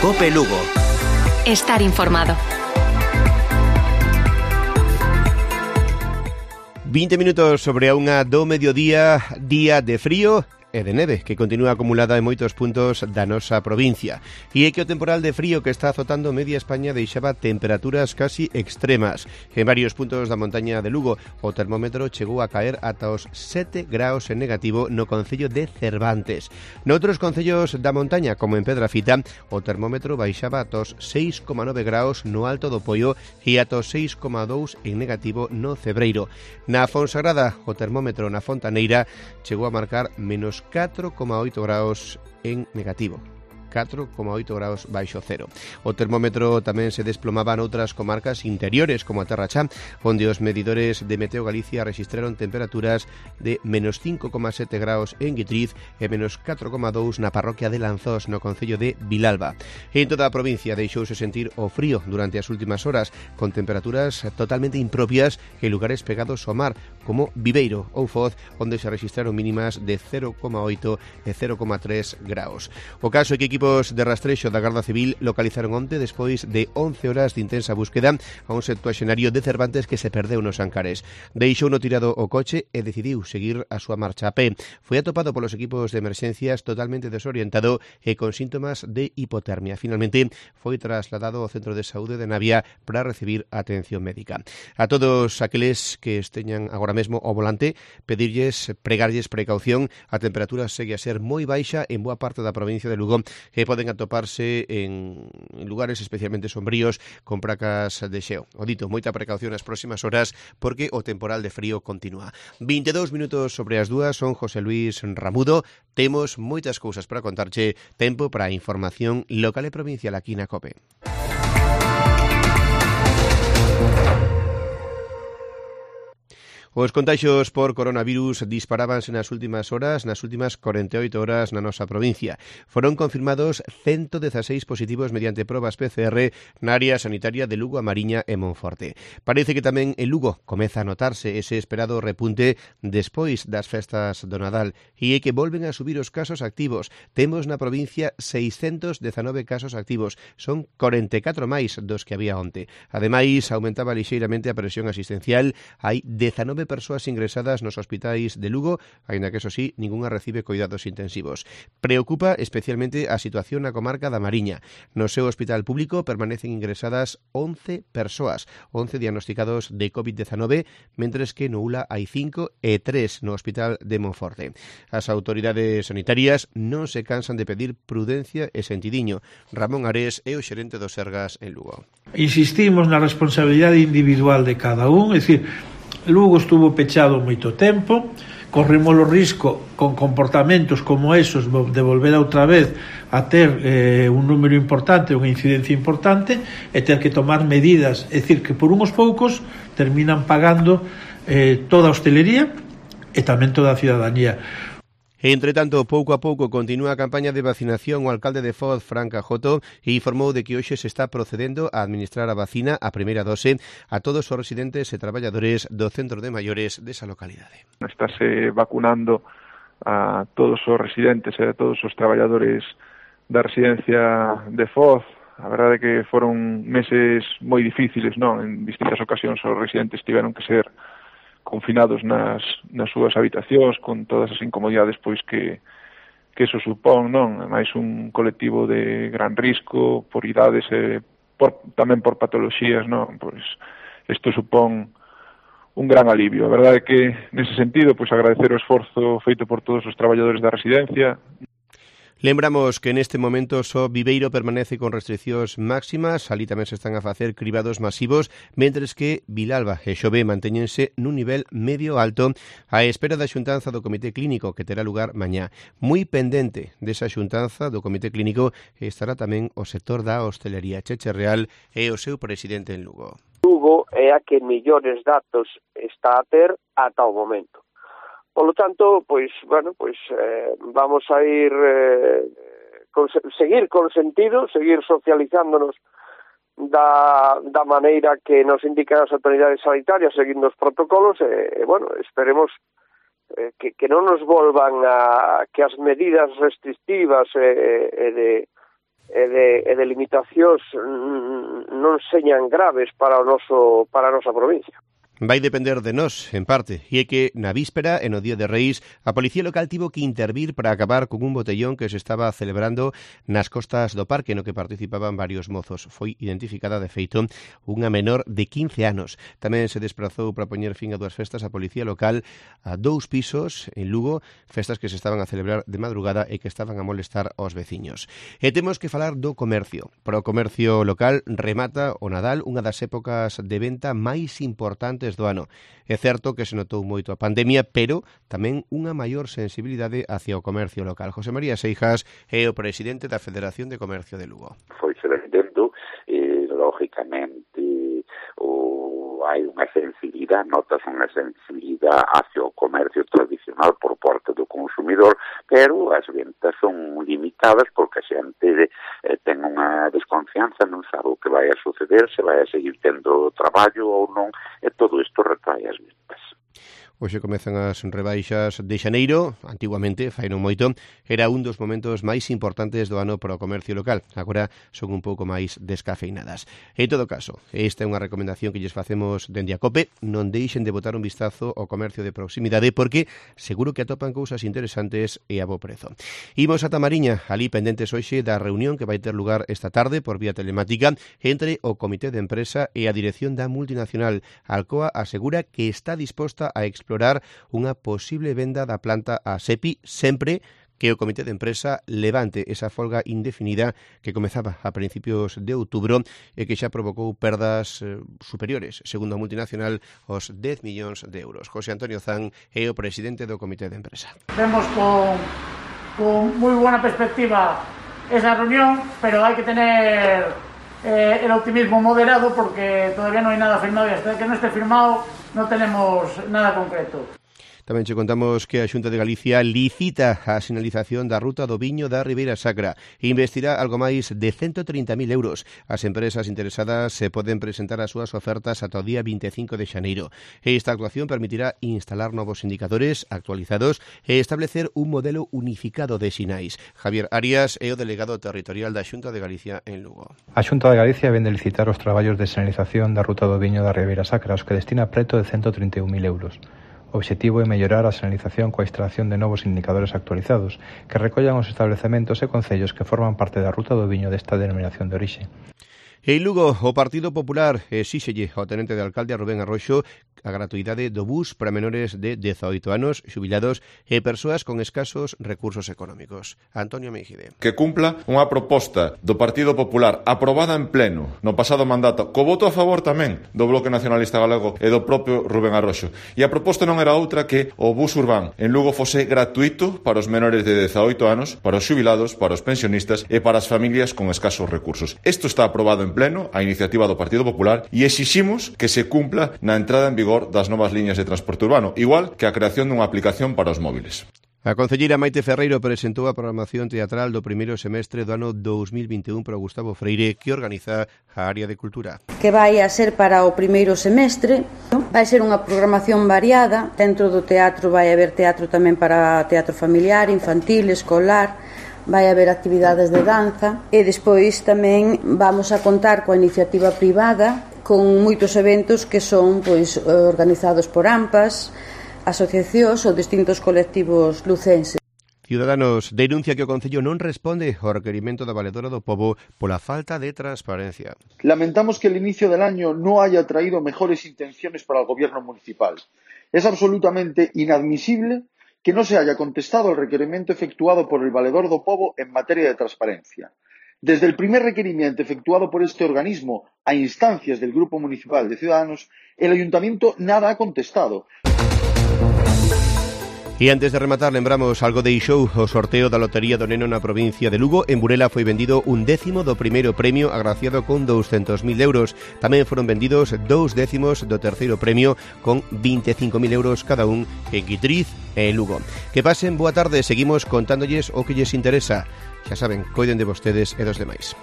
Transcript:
COPE Lugo. Estar informado. 20 minutos sobre a unha do mediodía, día de frío e de neve que continúa acumulada en moitos puntos da nosa provincia. E é que o temporal de frío que está azotando media España deixaba temperaturas casi extremas. En varios puntos da montaña de Lugo o termómetro chegou a caer ata os 7 graus en negativo no concello de Cervantes. Noutros concellos da montaña, como en Pedrafita, o termómetro baixaba ata os 6,9 graus no Alto do Poio e ata os 6,2 en negativo no Cebreiro. Na Fonsagrada, o termómetro na Fontaneira chegou a marcar menos 4,8 graus en negativo. 4,8 graus baixo cero. O termómetro tamén se desplomaba noutras comarcas interiores, como a Terra Chá, onde os medidores de Meteo Galicia registraron temperaturas de menos 5,7 graus en Guitriz e menos 4,2 na parroquia de Lanzós, no concello de Vilalba. En toda a provincia deixouse sentir o frío durante as últimas horas, con temperaturas totalmente impropias en lugares pegados ao mar, como Viveiro ou Foz, onde se registraron mínimas de 0,8 e 0,3 graus. O caso é que equipos de rastrexo da Garda Civil localizaron onte, despois de 11 horas de intensa búsqueda, a un septuaxenario de Cervantes que se perdeu nos Ancares. Deixou no tirado o coche e decidiu seguir a súa marcha a pé. Foi atopado polos equipos de emerxencias totalmente desorientado e con síntomas de hipotermia. Finalmente, foi trasladado ao Centro de Saúde de Navia para recibir atención médica. A todos aqueles que esteñan agora mesmo ao volante, pregarlles precaución. A temperatura segue a ser moi baixa en boa parte da provincia de Lugo, que poden atoparse en lugares especialmente sombríos con placas de xeo. O dito, moita precaución nas próximas horas porque o temporal de frío continúa. 22 minutos sobre as 2, son José Luis Ramudo. Temos moitas cousas para contarche, tempo para a información local e provincial aquí na COPE. Os contaxios por coronavirus disparábanse nas últimas horas, nas últimas 48 horas na nosa provincia. Foron confirmados 116 positivos mediante probas PCR na área sanitaria de Lugo, A Mariña e Monforte. Parece que tamén en Lugo comeza a notarse ese esperado repunte despois das festas do Nadal e é que volven a subir os casos activos. Temos na provincia 619 casos activos, son 44 máis dos que había onte. Ademais, aumentaba lixeiramente a presión asistencial, hai 19 persoas ingresadas nos hospitais de Lugo, aínda que, eso sí, ningunha recibe cuidados intensivos. Preocupa especialmente a situación na comarca da Mariña. No seu hospital público permanecen ingresadas 11 persoas, 11 diagnosticados de COVID-19, mentres que no ULA hai 5 e 3 no hospital de Monforte. As autoridades sanitarias non se cansan de pedir prudencia e sentidiño. Ramón Ares é o xerente do Sergas en Lugo. Insistimos na responsabilidade individual de cada un, é dicir, Lugo estuvo pechado moito tempo, corremos o risco con comportamentos como esos de volver outra vez a ter un número importante, unha incidencia importante e ter que tomar medidas, é dicir, que por unhos poucos terminan pagando toda a hostelería e tamén toda a cidadanía. Entre tanto, pouco a pouco continúa a campaña de vacinación. O alcalde de Foz, Fran Cajoto, informou de que hoxe se está procedendo a administrar a vacina, a primeira dose, a todos os residentes e traballadores do centro de maiores desa localidade. Estáse vacunando a todos os residentes e a todos os traballadores da residencia de Foz. A verdade é que foron meses moi difíciles, non? En distintas ocasións os residentes tiveron que ser confinados nas súas habitacións con todas as incomodidades pois que eso supón, non? Mais un colectivo de gran risco por idades e tamén por patoloxías, non? Pois isto supón un gran alivio. A verdade é que nese sentido pois agradecer o esforzo feito por todos os traballadores da residencia. Lembramos que neste momento só Viveiro permanece con restriccións máximas, ali tamén se están a facer cribados masivos, mentres que Vilalba e Xove mantéñense nun nivel medio alto á espera da xuntanza do Comité Clínico que terá lugar mañá. Moi pendente desa xuntanza do Comité Clínico estará tamén o sector da hostelería. Cheche Real é o seu presidente en Lugo. Lugo é a que mellores datos está a ter ata o momento. Polo tanto, vamos a ir seguir con sentido, seguir socializándonos da maneira que nos indican as autoridades sanitarias, seguindo os protocolos, esperemos que non nos volvan a que as medidas restrictivas e e de limitacións non señan graves para a nosa provincia. Vai depender de nós, en parte, e é que na víspera, en o Día de Reis, a Policía Local tivo que intervir para acabar con un botellón que se estaba celebrando nas costas do parque, no que participaban varios mozos. Foi identificada, de feito, unha menor de 15 anos. Tamén se desprazou para poñer fin a 2 festas a Policía Local a 2 pisos en Lugo, festas que se estaban a celebrar de madrugada e que estaban a molestar aos veciños. E temos que falar do comercio. Para o comercio local remata o Nadal, unha das épocas de venta máis importantes do ano. É certo que se notou moito a pandemia, pero tamén unha maior sensibilidade hacia o comercio local. José María Seijas é o presidente da Federación de Comercio de Lugo. Foi se vendendo, lógicamente, hai unha sensibilidade, notas unha sensibilidade hacia o comercio tradicional por parte do consumidor, pero as ventas son limitadas porque a xente ten unha desconfianza, non sabe o que vai a suceder, se vai a seguir tendo traballo ou non, e todo isto retrae as ventas. Hoxe comezan as rebaixas de xaneiro. Antiguamente, fai non moito, era un dos momentos máis importantes do ano para o comercio local. Agora son un pouco máis descafeinadas. En todo caso, esta é unha recomendación que lles facemos dende a COPE. Non deixen de botar un vistazo ao comercio de proximidade porque seguro que atopan cousas interesantes e a bo prezo. Imos a Tamariña, ali pendentes hoxe da reunión que vai ter lugar esta tarde por vía telemática entre o Comité de Empresa e a dirección da multinacional. Alcoa asegura que está disposta a explorar unha posible venda da planta a SEPI sempre que o Comité de Empresa levante esa folga indefinida que comezaba a principios de outubro e que xa provocou perdas superiores, segundo a multinacional, aos 10 millóns de euros. José Antonio Zan é o presidente do Comité de Empresa. Vemos con moi buena perspectiva esa reunión, pero hai que tener el optimismo moderado porque todavía no hay nada firmado y hasta que no esté firmado no tenemos nada concreto. Tamén che contamos que a Xunta de Galicia licita a sinalización da ruta do Viño da Ribeira Sacra e investirá algo máis de 130.000 euros. As empresas interesadas se poden presentar as súas ofertas ata o día 25 de xaneiro. Esta actuación permitirá instalar novos indicadores actualizados e establecer un modelo unificado de sinais. Javier Arias é o delegado territorial da Xunta de Galicia en Lugo. A Xunta de Galicia vende licitar os traballos de sinalización da ruta do Viño da Ribeira Sacra, os que destina preto de 131.000 euros. O obxectivo é mellorar a sinalización coa instalación de novos indicadores actualizados que recollan os establecementos e concellos que forman parte da ruta do viño desta denominación de orixe. En Lugo, o Partido Popular exíxelle ao tenente de alcalde a Rubén Arroxo a gratuidade do bus para menores de 18 anos, xubilados e persoas con escasos recursos económicos. Antonio Meijide. Que cumpla unha proposta do Partido Popular aprobada en pleno no pasado mandato, co voto a favor tamén do Bloque Nacionalista Galego e do propio Rubén Arroxo. E a proposta non era outra que o bus urbán en Lugo fose gratuito para os menores de 18 anos, para os xubilados, para os pensionistas e para as familias con escasos recursos. Isto está aprobado en pleno a iniciativa do Partido Popular e exiximos que se cumpla na entrada en vigor das novas liñas de transporte urbano, igual que a creación dunha aplicación para os móviles. A concelleira Maite Ferreiro presentou a programación teatral do primeiro semestre do ano 2021 para Gustavo Freire, que organiza a área de cultura. Que vai a ser para o primeiro semestre, vai ser unha programación variada. Dentro do teatro vai haber teatro tamén para teatro familiar, infantil, escolar, vai haber actividades de danza e despois tamén vamos a contar coa iniciativa privada con moitos eventos que son organizados por AMPAs, asociacións ou distintos colectivos lucenses. Ciudadanos denuncia que o Concello non responde ao requerimento da Valedora do Pobo pola falta de transparencia. Lamentamos que el inicio del año no haya traído mejores intenciones para el gobierno municipal. Es absolutamente inadmisible que no se haya contestado al requerimiento efectuado por el Valedor do Pobo en materia de transparencia. Desde el primer requerimiento efectuado por este organismo a instancias del Grupo Municipal de Ciudadanos, el Ayuntamiento nada ha contestado. E antes de rematar, lembramos algo de Ixou, o sorteo da Lotería do Neno na provincia de Lugo. En Burela foi vendido 1/10 do primeiro premio, agraciado con 200.000 euros. Tamén foron vendidos 2/10 do terceiro premio, con 25.000 euros cada un en Guitriz e en Lugo. Que pasen boa tarde, seguimos contándolles o que lles interesa. Xa saben, coiden de vostedes e dos demais.